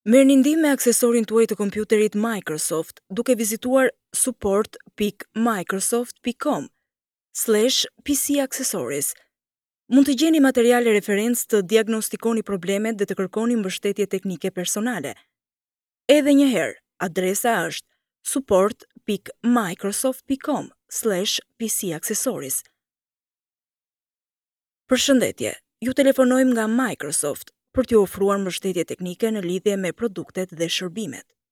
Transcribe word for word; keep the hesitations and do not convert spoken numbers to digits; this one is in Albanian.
Merrni ndihmë me aksesorin tuaj të kompjuterit Microsoft duke vizituar support pikë microsoft pikë com slash P C accessories. Mund të gjeni materiale referencë, të diagnostikoni problemet dhe të kërkoni mbështetje teknike personale. Edhe një herë, adresa është support pikë microsoft pikë com slash P C accessories. Përshëndetje, ju telefonojmë nga Microsoft për t'ju ofruar mbështetje teknike në lidhje me produktet dhe shërbimet.